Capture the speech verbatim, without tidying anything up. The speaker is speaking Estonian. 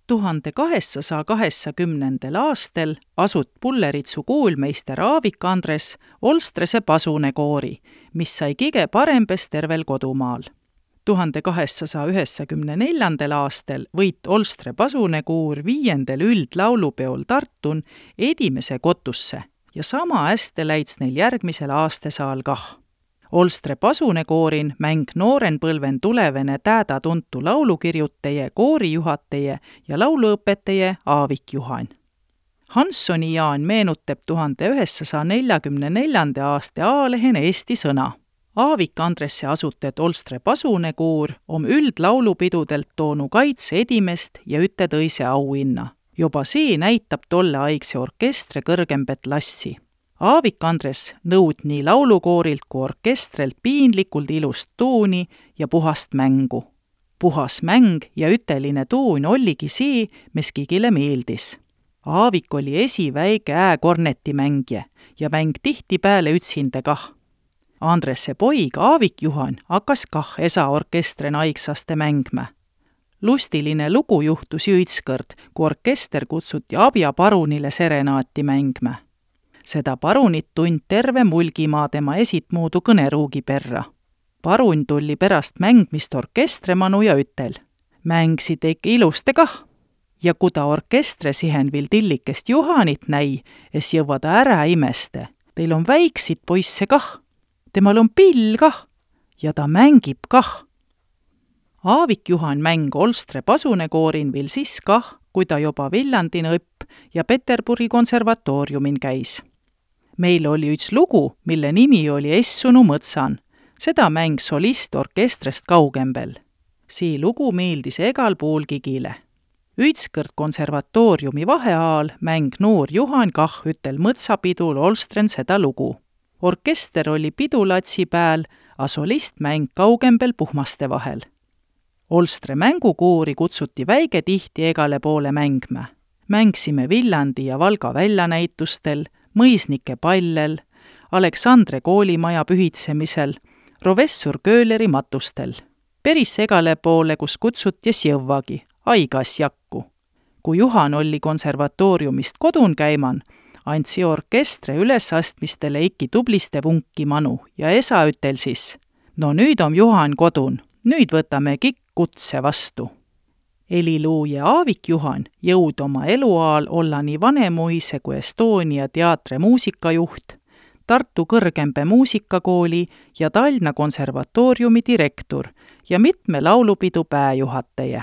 tuhande kaheksasada kaheksakümnendal aastal asut Pulleritsu kuulmeister Aavik Andres Olstrese pasunekoori, mis sai kõige parembes tervel kodumaal. tuhande kaheksasada üheksakümne neljandal aastal võit Olstre pasunekuur viiendel üldlaulupeol Tartun edimese kotusse ja sama hästi läits neil järgmisel aastasaal kah. Olstre pasunekoorin mäng noorenpõlven tulevene tääda tuntu laulukirjutaja, koorijuhataja ja lauluõpetaja Aavik Juhan. Hanssoni Jaan meenutab tuhande üheksasaja neljakümne neljanda aasta A-lehen Eesti sõna. Aavik Andresse asutet Olstre pasunekuur om üldlaulupidudelt toonu kaitse edimest ja üte tõise auhinna. Juba see näitab tolle aegse orkestre kõrgembet lassi. Aavik Andres nõud nii laulukoorilt kui orkestrelt piinlikult ilust tuuni ja puhast mängu. Puhas mäng ja üteline tuun olligi see, mis kõigile meeldis. Aavik oli esiväike ääkornetimängija ja mäng tihti pääle ütsinde kah. Andresse poig Aavik Juhan hakkas kah esa orkestre naiksaste mängme. Lustiline lugu juhtus jõitskõrd, kui orkester kutsuti Abja parunile serenaati mängme. Seda parunit tund terve Mulgimaa tema esitmuudu kõneruugi perra. Parun tulli pärast mängmist orkestremanu ja ütel. Mängsi teik iluste kah. Ja kui ta orkestre sihen vil tillikest Juhanit näi, es jõua ta ära imeste. Teil on väiksid poisse kah. Temal on pill kah. Ja ta mängib kah. Aavik Juhan mäng Olstre pasunekoorin vil siis kah, kui ta juba Villandin õpp ja Peterburi konservatooriumin käis. Meil oli üks lugu, mille nimi oli Essunu mõtsan. Seda mäng solist orkestrest kaugembel. See lugu meeldis egal pool kigile. Ütskõrd konservatooriumi vaheaal mäng noor Juhan kah ütel mõtsapidul Olstren seda lugu. Orkester oli pidulatsi pääl, a solist mäng kaugembel puhmaste vahel. Olstre mängukoori kutsuti väike tihti egale poole mängme. Mängsime Villandi ja Valga väljanäitustel, Mõisnike pallel, Aleksandre koolimaja pühitsemisel, Rovessur Kööleri matustel. Peris egale poole, kus kutsutis jõvvagi, aigas jakku. Kui Juhan oli konservatooriumist kodun käiman, andsi orkestre ülesastmistele ikki tubliste vunki manu ja esa ütel siis, no nüüd on Juhan kodun, nüüd võtame kikk kutse vastu. Heliluuja Aavik Juhan jõud oma eluaal olla nii Vanemuise kui Estonia teatre muusikajuht, Tartu kõrgembe muusikakooli ja Tallinna konservatooriumi direktor ja mitme laulupidu pääjuhataja.